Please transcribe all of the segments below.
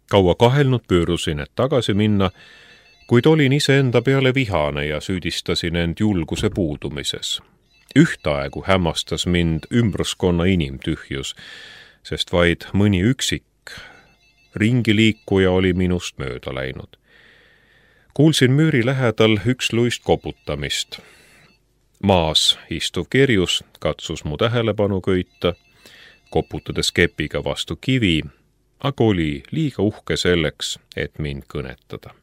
Kaua kahelnud pöörusin, et tagasi minna, kuid olin iseenda peale vihane ja süüdistasin end julguse puudumises. Ühtaegu hämmastas mind ümbruskonna inimtühjus, sest vaid mõni üksik ringiliikuja oli minust mööda läinud. Kuulsin müüri lähedal üksluist koputamist. Maas istuv kerjus katsus mu tähelepanu köita, koputades kepiga vastu kivi, aga oli liiga uhke selleks, et mind kõnetada.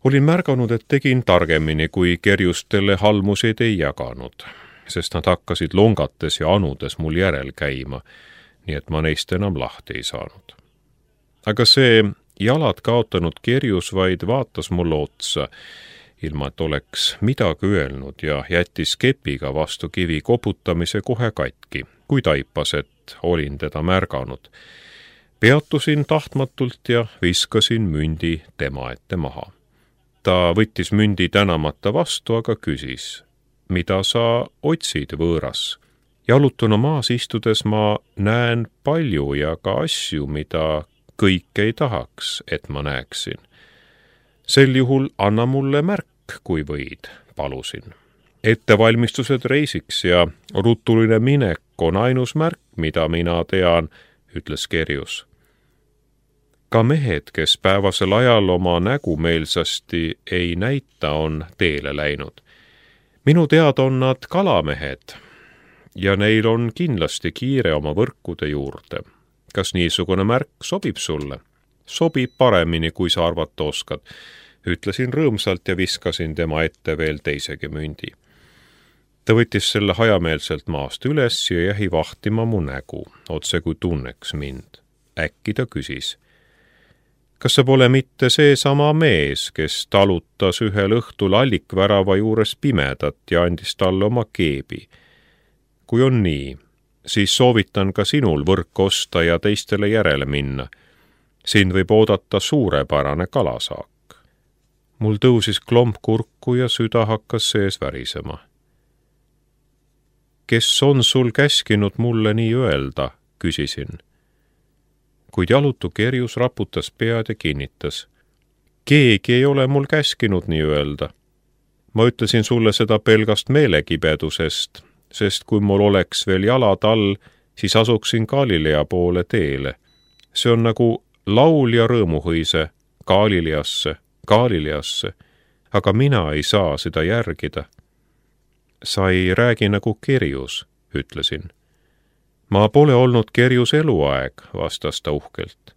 Olin märganud, et tegin targemini, kui kerjustele halmuseid ei jaganud, sest nad hakkasid longates ja anudes mul järel käima, nii et ma neist enam lahti ei saanud. Aga see jalad kaotanud kerjus vaid vaatas mulle otsa, ilma et oleks midagi öelnud ja jättis kepiga vastu kivi koputamise kohe katki, kui taipas, et olin teda märganud. Peatusin tahtmatult ja viskasin mündi tema ette maha. Ta võttis mündi tänamata vastu, aga küsis, mida sa otsid võõras? Jalutuna maas istudes ma näen palju ja ka asju, mida kõik ei tahaks, et ma näeksin. Sel juhul anna mulle märk, kui võid, palusin. Ettevalmistused reisiks ja rutuline minek on ainus märk, mida mina tean, ütles kerjus. Ka mehed, kes päevasel ajal oma nägu meelsasti ei näita, on teele läinud. Minu teada on nad kalamehed ja neil on kindlasti kiire oma võrkude juurde. Kas niisugune märk sobib sulle? Sobib paremini, kui sa arvata oskad, ütlesin rõõmsalt ja viskasin tema ette veel teisegi mündi. Ta võttis selle hajameelselt maast üles ja jäi vahtima mu nägu, otse kui tunneks mind. Äkki ta küsis, kas sa pole mitte seesama mees, kes talutas ühel õhtul allikvärava juures pimedat ja andis talle oma keebi? Kui on nii, siis soovitan ka sinul võrk osta ja teistele järele minna. Sind võib oodata suurepärane kalasaak. Mul tõusis klomp kurku ja süda hakkas sees värisema. Kes on sul käskinud mulle nii öelda, küsisin. Kuid jalutu kerjus raputas pead ja kinnitas. Keegi ei ole mul käskinud nii öelda. Ma ütlesin sulle seda pelgast meelekibedusest, sest kui mul oleks veel jalad all, siis asuksin Galilea poole teele. See on nagu laul ja rõõmuhõise Galileasse, aga mina ei saa seda järgida. Sa ei räägi nagu kerjus, ütlesin. Ma pole olnud kerjus eluaeg, vastas ta uhkelt.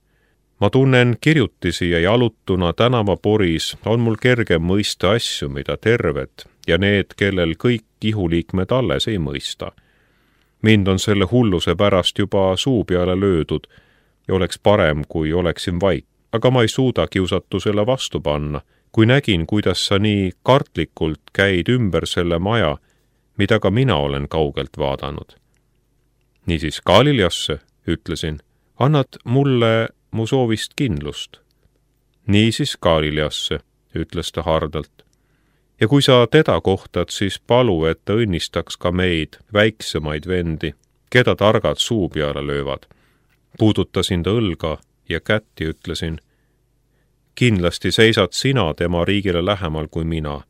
Ma tunnen kirjutisi ja jalutuna tänavaporis on mul kergem mõista asju, mida terved ja need, kellel kõik ihuliikmed alles ei mõista. Mind on selle hulluse pärast juba suu peale löödud ja oleks parem, kui oleksin vaik, aga ma ei suuda kiusatusele vastu panna, kui nägin, kuidas sa nii kartlikult käid ümber selle maja, mida ka mina olen kaugelt vaadanud. Niisiis Galileasse, ütlesin, annad mulle mu soovist kindlust. Niisiis Galileasse, ütles ta hardalt. Ja kui sa teda kohtad, siis palu, et ta õnnistaks ka meid, väiksemaid vendi, keda targad suu peale löövad. Puudutasin ta õlga ja kätt ja ütlesin, kindlasti seisad sina tema riigile lähemal kui mina,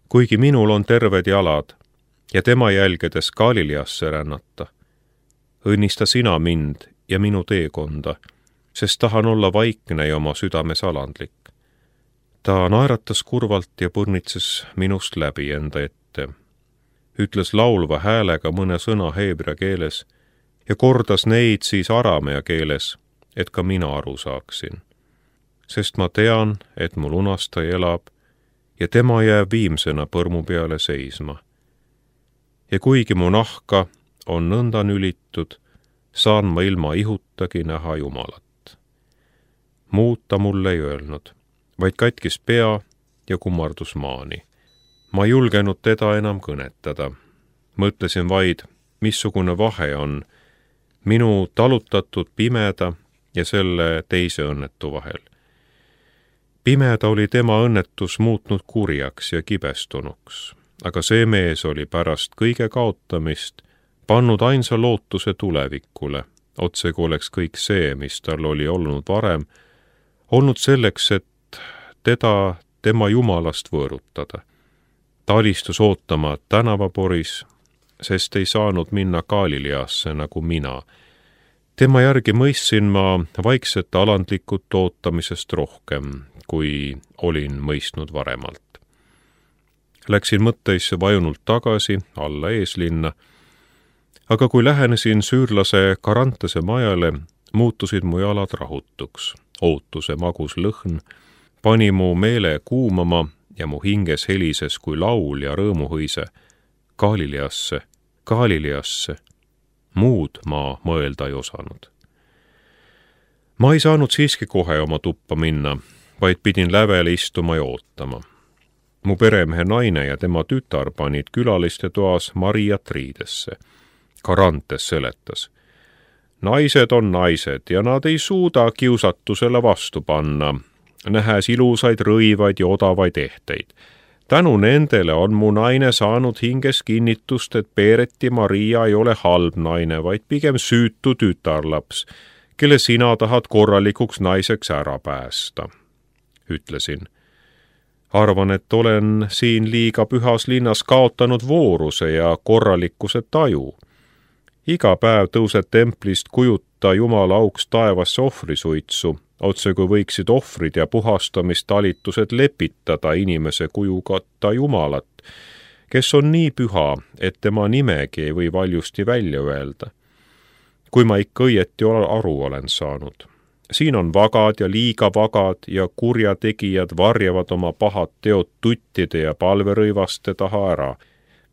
kuigi minul on terved jalad ja tema jälgedes Galileasse rännata. Õnnista sina mind ja minu teekonda, sest tahan olla vaikne ja oma südames alandlik. Ta naeratas kurvalt ja põrnitses minust läbi enda ette. Ütles laulva häälega mõne sõna heebrea keeles ja kordas neid siis aramea keeles, et ka mina aru saaksin. Sest ma tean, et mu lunastaja elab ja tema jääb viimsena põrmu peale seisma. Ja kuigi mu nahka on nõnda nülitud, saan ma ilma ihutagi näha Jumalat. Muud ta mulle ei öelnud, vaid katkis pea ja kummardus maani. Ma ei julgenud teda enam kõnetada. Mõtlesin vaid, missugune vahe on minu talutatud pimeda ja selle teise õnnetu vahel. Pimeda oli tema õnnetus muutnud kurjaks ja kibestunuks, aga see mees oli pärast kõige kaotamist pannud ainsa lootuse tulevikule, otse kui oleks kõik see, mis tal oli olnud varem, olnud selleks, et teda tema jumalast võõrutada. Ta alistus ootama tänavaporis, sest ei saanud minna Galileasse nagu mina. Tema järgi mõistsin ma vaikset alandlikut ootamisest rohkem, kui olin mõistnud varemalt. Läksin mõtteisse vajunult tagasi alla eeslinna, aga kui lähenesin süürlase Carantese majale, muutusid mu jalad rahutuks. Ootuse magus lõhn pani mu meele kuumama ja mu hinges helises kui laul ja rõõmuhõise. Galileasse, Galileasse. Muud ma mõelda ei osanud. Ma ei saanud siiski kohe oma tuppa minna, vaid pidin lävele istuma ja ootama. Mu peremehe naine ja tema tütar panid külaliste toas Mariat riidesse. Carantes seletas. Naised on naised ja nad ei suuda kiusatusele vastu panna, nähes ilusaid rõivaid ja odavaid ehteid. Tänu nendele on mu naine saanud hinges kinnitust, et Peereti Maria ei ole halb naine, vaid pigem süütu tütarlaps, kelle sina tahad korralikuks naiseks ära päästa, ütlesin. Arvan, et olen siin liiga pühas linnas kaotanud vooruse ja korralikkuse taju. Iga päev tõused templist kujuta Jumala auks taevasse ohvrisuitsu, otse kui võiksid ohvrid ja puhastamistalitused lepitada inimese kujukatta Jumalat, kes on nii püha, et tema nimegi ei või valjusti välja öelda. Kui ma ikka õieti aru olen saanud. Siin on vagad ja liiga vagad ja kurjategijad varjavad oma pahad teod tuttide ja palverõivaste taha ära.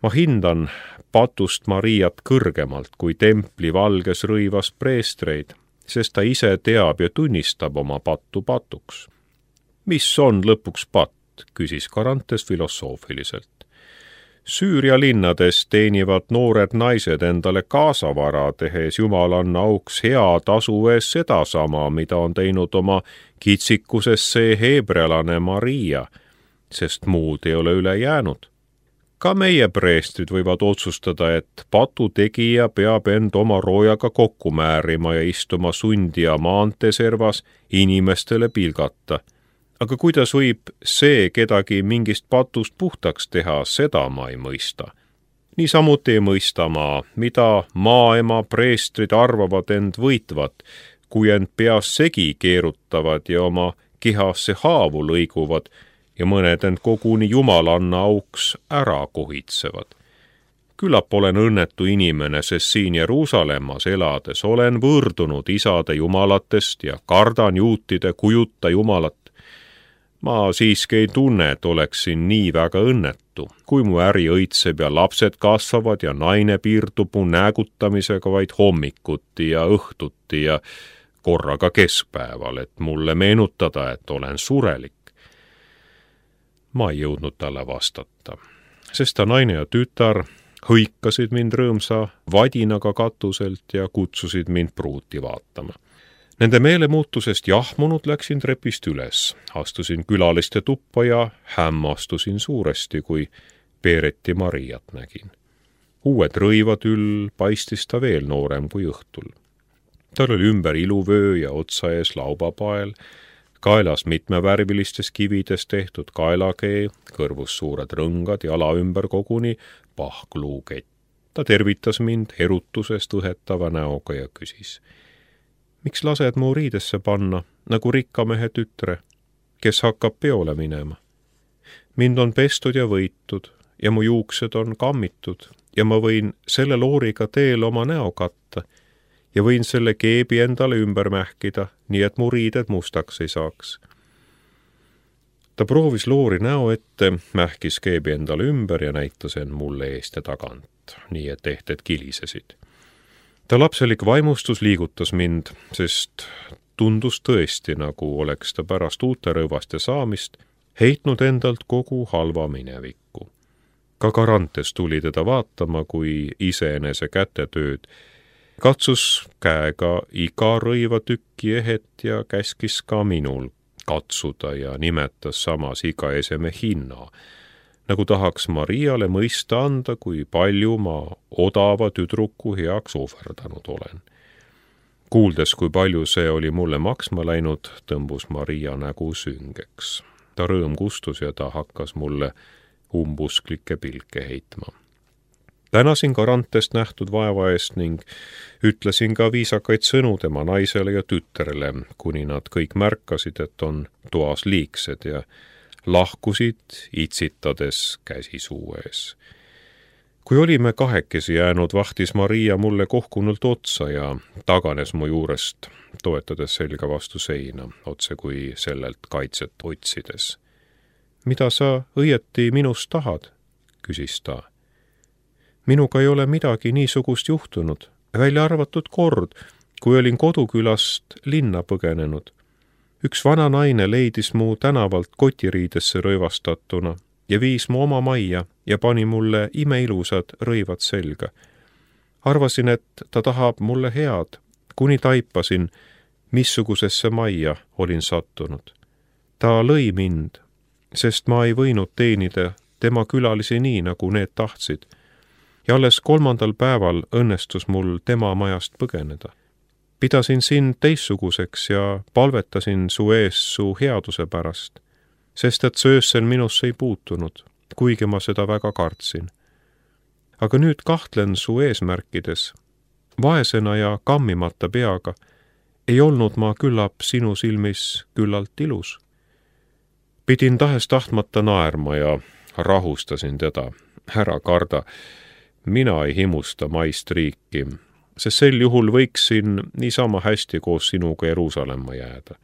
Ma hindan patust Mariat kõrgemalt kui templi valges rõivas preestreid, sest ta ise teab ja tunnistab oma pattu patuks. Mis on lõpuks patt, küsis Carantes filosoofiliselt. Süüria linnades teenivad noored naised endale kaasavara, tehes jumalanna auks hea tasu ees sedasama, mida on teinud oma kitsikuses see heebrealane Maria, sest muud ei ole üle jäänud. Ka meie preestrid võivad otsustada, et patu tegija peab end oma roojaga kokku määrima ja istuma sundija maanteeservas inimestele pilgata. Aga kuidas võib see kedagi mingist patust puhtaks teha, seda ma ei mõista. Niisamuti ei mõista ma, mida maaema preestrid arvavad end võitvat, kui end peas segi keerutavad ja oma kehasse haavu lõiguvad ja mõned end koguni jumalanna auks ära kohitsevad. Küllap olen õnnetu inimene, sest siin Jeruusalemmas elades olen võõrdunud isade jumalatest ja kardan juutide kujuta jumalat. Ma siiski ei tunne, et oleksin nii väga õnnetu, kui mu äri õitseb ja lapsed kasvavad ja naine piirdub mu näägutamisega vaid hommikuti ja õhtuti ja korraga keskpäeval, et mulle meenutada, et olen surelik. Ma ei jõudnud talle vastata, sest ta naine ja tütar hõikasid mind rõõmsa vadinaga katuselt ja kutsusid mind pruuti vaatama. Nende meelemuutusest jahmunud läksin trepist üles, astusin külaliste tuppa ja hämmastusin suuresti, kui Peereti Mariat nägin. Uued rõivad üll paistis ta veel noorem kui õhtul. Tal oli ümber iluvöö ja otsa ees laubapael, kaelas mitmevärvilistes kivides tehtud kaelakee, kõrvus suured rõngad, jala ümber koguni pahkluukett. Ta tervitas mind erutusest õhetava näoga ja küsis. Miks lased mu riidesse panna, nagu rikkamehe tütre, kes hakkab peole minema? Mind on pestud ja võitud ja mu juuksed on kammitud ja ma võin selle looriga teel oma näo katta ja võin selle keebi endale ümber mähkida, nii et mu riided mustaks ei saaks. Ta proovis loori näo ette, mähkis keebi endale ümber ja näitas end mulle eest ja tagant, nii et ehted kilisesid. Ta lapselik vaimustus liigutas mind, sest tundus tõesti, nagu oleks ta pärast uute rõivaste saamist heitnud endalt kogu halva minevikku. Ka Carantes tuli teda vaatama kui iseenese kätetööd, katsus käega iga rõivatükki ehet ja käskis ka minul katsuda ja nimetas samas iga eseme hinna, nagu tahaks Mariale mõista anda, kui palju ma odava tüdruku heaks ohverdanud olen. Kuuldes, kui palju see oli mulle maksma läinud, tõmbus Maria nägu süngeks. Ta rõõm kustus ja ta hakkas mulle umbusklikke pilke heitma. Tänasin Garantest nähtud vaeva eest ning ütlesin ka viisakaid sõnu tema naisele ja tütrele, kuni nad kõik märkasid, et on toas liigsed ja lahkusid itsitades käsi suu ees. Kui olime kahekesi jäänud, vahtis Maria mulle kohkunult otsa ja taganes mu juurest, toetades selga vastu seina, otse kui sellelt kaitset otsides. Mida sa õieti minust tahad? Küsis ta. Minuga ei ole midagi niisugust juhtunud, välja arvatud kord, kui olin kodukülast linna põgenenud. Üks vana naine leidis mu tänavalt kotiriidesse rõivastatuna ja viis mu oma majja ja pani mulle imeilusad rõivad selga. Arvasin, et ta tahab mulle head, kuni taipasin, missugusesse majja olin sattunud. Ta lõi mind, sest ma ei võinud teenida tema külalisi nii, nagu need tahtsid. Ja alles 3. päeval õnnestus mul tema majast põgeneda. Pidasin sind teistsuguseks ja palvetasin su ees su headuse pärast, sest et söössel minusse ei puutunud, kuigi ma seda väga kartsin. Aga nüüd kahtlen su eesmärkides. Vaesena ja kammimata peaga ei olnud ma küllap sinu silmis küllalt ilus. Pidin tahes-tahtmata naerma ja rahustasin teda. Ära karda. Mina ei himusta maist riiki, sest sel juhul võiksin niisama hästi koos sinuga Jeruusalemma jääda.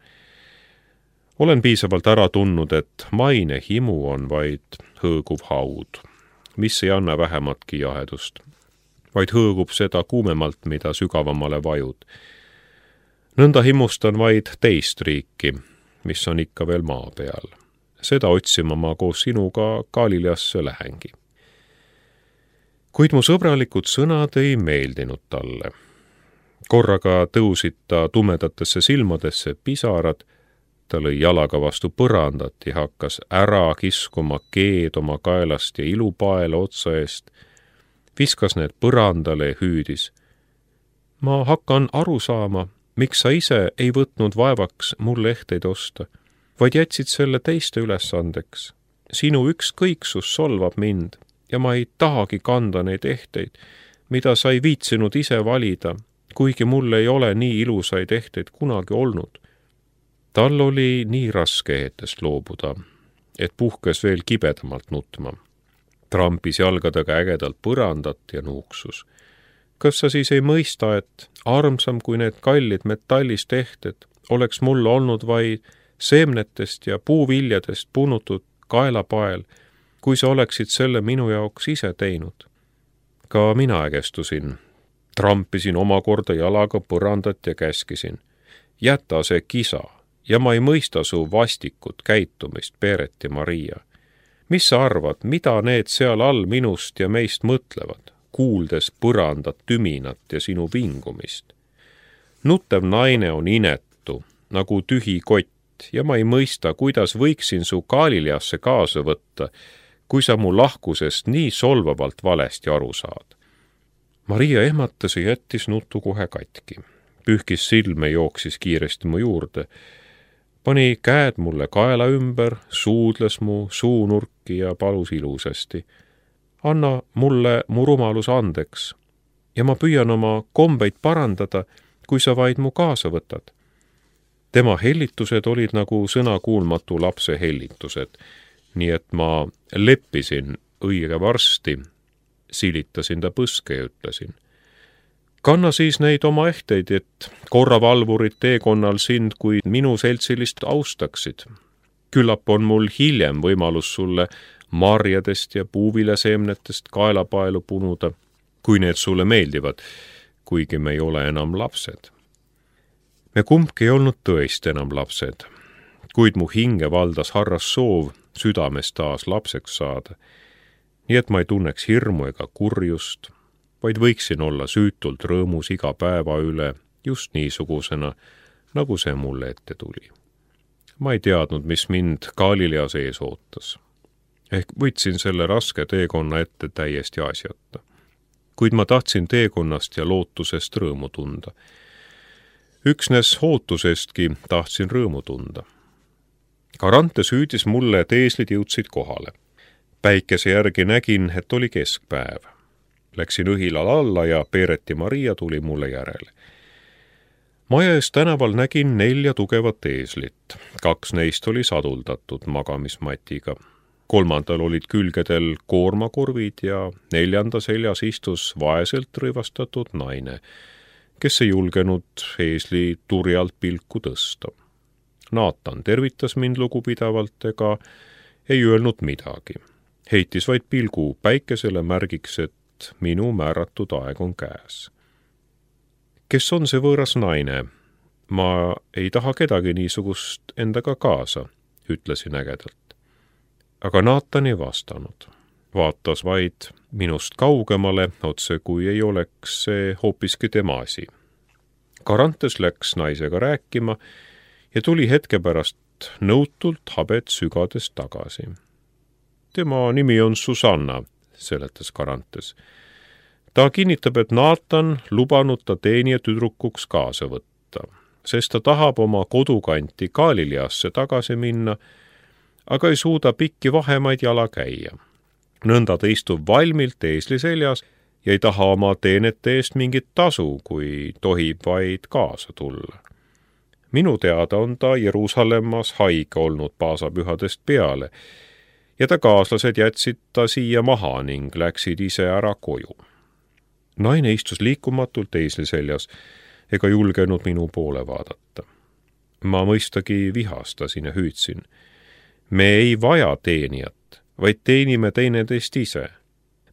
Olen piisavalt ära tundnud, et maine himu on vaid hõõguv haud, mis ei anna vähematki jahedust, vaid hõõgub seda kuumemalt, mida sügavamale vajud. Nõnda himustan vaid teist riiki, mis on ikka veel maa peal. Seda otsima ma koos sinuga Galileasse lähengi. Kuid mu sõbralikud sõnad ei meeldinud talle. Korraga tõusid ta tumedatesse silmadesse pisarad, ta lõi jalaga vastu põrandat ja hakkas ära kiskuma keed oma kaelast ja ilupaela otsa eest, viskas need põrandale ja hüüdis. Ma hakkan aru saama, miks sa ise ei võtnud vaevaks mulle ehteid osta, vaid jätsid selle teiste ülesandeks. Sinu ükskõiksus solvab mind. Ja ma ei tahagi kanda neid ehteid, mida sa ei viitsinud ise valida, kuigi mul ei ole nii ilusaid ehteid kunagi olnud. Tal oli nii raske ehtest loobuda, et puhkes veel kibedamalt nutma. Trampis jalgadega ägedalt põrandat ja nuuksus. Kas sa siis ei mõista, et armsam kui need kallid metallist ehted oleks mul olnud vaid seemnetest ja puuviljadest punutud kaelapael, kui sa oleksid selle minu jaoks ise teinud. Ka mina ägestusin. Trampisin omakorda jalaga põrandat ja käskisin. Jäta see kisa ja ma ei mõista su vastikut käitumist, Peeret ja Maria. Mis sa arvad, mida need seal all minust ja meist mõtlevad, kuuldes põrandat, tüminat ja sinu vingumist? Nuttev naine on inetu, nagu tühi kott ja ma ei mõista, kuidas võiksin su Galileasse kaasa võtta, kui sa mu lahkusest nii solvavalt valesti aru saad. Maria ehmatas ja jättis nuttu kohe katki. Pühkis silme, jooksis kiiresti mu juurde. Pani käed mulle kaela ümber, suudles mu suunurki ja palus ilusasti. Anna mulle mu rumalus andeks ja ma püüan oma kombeid parandada, kui sa vaid mu kaasa võtad. Tema hellitused olid nagu sõnakuulmatu lapse hellitused, nii et ma leppisin õige varsti, silitasin ta põske ja ütlesin. Kanna siis neid oma ehteid, et korravalvurid teekonnal sind kui minu seltsilist austaksid. Küllap on mul hiljem võimalus sulle marjadest ja puuviljaseemnetest kaelapaelu punuda, kui need sulle meeldivad, kuigi me ei ole enam lapsed. Me kumbki ei olnud tõesti enam lapsed, kuid mu hinge valdas harras soov südames taas lapseks saada, nii et ma ei tunneks hirmu ega kurjust, vaid võiksin olla süütult rõõmus iga päeva üle just niisugusena, nagu see mulle ette tuli. Ma ei teadnud, mis mind Galileas ees ootas. Ehk võtsin selle raske teekonna ette täiesti asjata. Kuid ma tahtsin teekonnast ja lootusest rõõmu tunda. Üksnes ootusestki tahtsin rõõmu tunda. Carantes hüüdis mulle, et eeslid jõudsid kohale. Päikese järgi nägin, et oli keskpäev. Läksin õhilal alla ja Peereti Maria tuli mulle järele. Maja ees tänaval nägin 4 tugevat eeslit. 2 neist oli saduldatud magamismatiga. 3. olid külgedel koormakurvid ja 4. seljas istus vaeselt rõivastatud naine, kes ei julgenud eesli turjalt pilku tõsta. Naatan tervitas mind lugupidavalt ega ei öelnud midagi. Heitis vaid pilgu päikesele märgiks, et minu määratud aeg on käes. Kes on see võõras naine? Ma ei taha kedagi niisugust endaga kaasa, ütlesin ägedalt. Aga Naatan ei vastanud. Vaatas vaid minust kaugemale, otse kui ei oleks see hoopiski tema asi. Carantes läks naisega rääkima ja tuli hetke pärast nõutult habet sügades tagasi. Tema nimi on Susanna, seletas Carantes. Ta kinnitab, et Naatan lubanud ta teenija tüdrukuks kaasa võtta, sest ta tahab oma kodukanti Galileasse tagasi minna, aga ei suuda pikki vahemaid jala käia. Nõnda ta istub valmilt eesli seljas ja ei taha oma teenete eest mingit tasu, kui tohib vaid kaasa tulla. Minu teada on ta Jeruusalemmas haige olnud paasapühadest peale ja ta kaaslased jätsid ta siia maha ning läksid ise ära koju. Naine istus liikumatult eesli seljas ega julgenud minu poole vaadata. Ma mõistagi vihastasin ja hüüdsin. Me ei vaja teenijat, vaid teenime teineteist ise.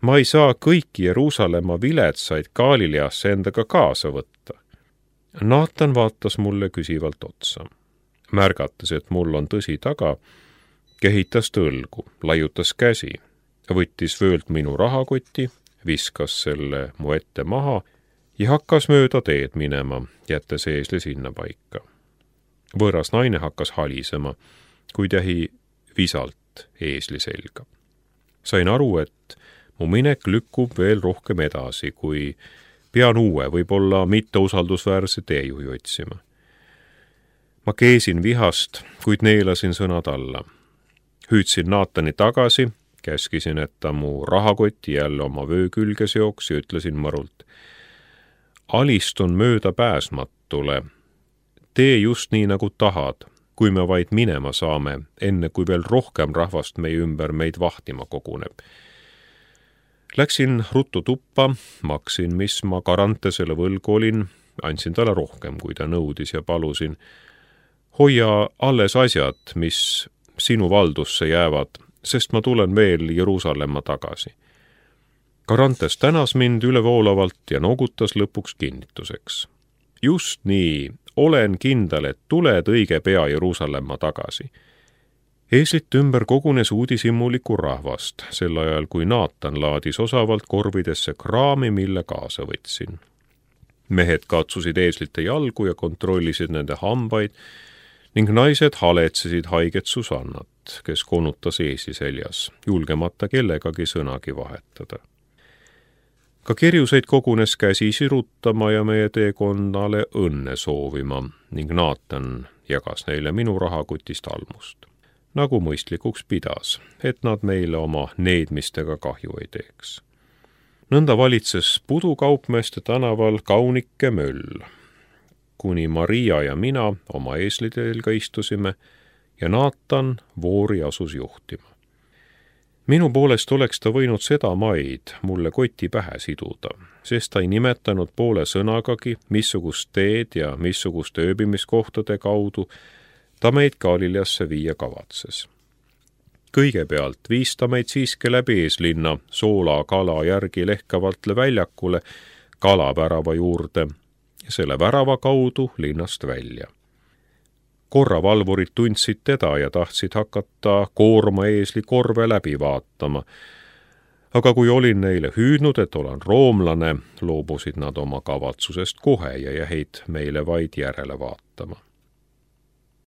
Ma ei saa kõiki Jeruusalemma viletsaid Galileasse endaga kaasa võtta. Naatan vaatas mulle küsivalt otsa. Märgates, et mul on tõsi taga, kehitas tõlgu, laiutas käsi, võttis vöölt minu rahakoti, viskas selle mu ette maha ja hakkas mööda teed minema, jättes eesli sinna paika. Võõras naine hakkas halisema, kuid jäi visalt eesli selga. Sain aru, et mu minek lükkub veel rohkem edasi, kui pean uue, võib-olla mitteusaldusväärse teejuhi otsima. Ma keesin vihast, kuid neelasin sõnad alla. Hüüdsin Naatani tagasi, käskisin, et ta mu rahakoti jälle oma vöö külge seoks ja ütlesin mõrult. Alistun mööda pääsmatule. Tee just nii, nagu tahad, kui me vaid minema saame, enne kui veel rohkem rahvast meie ümber meid vahtima koguneb. Läksin ruttu tuppa, maksin, mis ma Carantesele võlgu olin, andsin talle rohkem, kui ta nõudis ja palusin. Hoia alles asjad, mis sinu valdusse jäävad, sest ma tulen veel Jeruusalemma tagasi. Carantes tänas mind ülevoolavalt ja noogutas lõpuks kinnituseks. Just nii, olen kindel, et tuled õige pea Jeruusalemma tagasi. Eeslit ümber kogunes uudishimuliku rahvast, sel ajal kui Naatan laadis osavalt korvidesse kraami, mille kaasa võtsin. Mehed katsusid eeslite jalgu ja kontrollisid nende hambaid ning naised haletsesid haiget Susannat, kes konutas eesli seljas, julgemata kellegagi sõnagi vahetada. Ka kirjuseid kogunes käsi sirutama ja meie teekonnale õnne soovima ning Naatan jagas neile minu rahakotist almust. Nagu mõistlikuks pidas, et nad meile oma needmistega kahju ei teeks. Nõnda valitses pudukaupmeeste tänaval kaunike möll, kuni Maria ja mina oma eeslitelga istusime ja Naatan voori asus juhtima. Minu poolest oleks ta võinud seda maid mulle koti pähe siduda, sest ta ei nimetanud poole sõnagagi, missugust teed ja missuguste ööbimiskohtade kaudu ta meid Galileasse viia kavatses. Kõigepealt viis ta meid siiski läbi eeslinna Soola kala järgi lehkavalt väljakule kalapärava juurde ja selle värava kaudu linnast välja. Korravalvurid tundsid teda ja tahtsid hakata koorma eesli korve läbi vaatama, aga kui olin neile hüüdnud, et olen roomlane, loobusid nad oma kavatsusest kohe ja jäid meile vaid järele vaatama.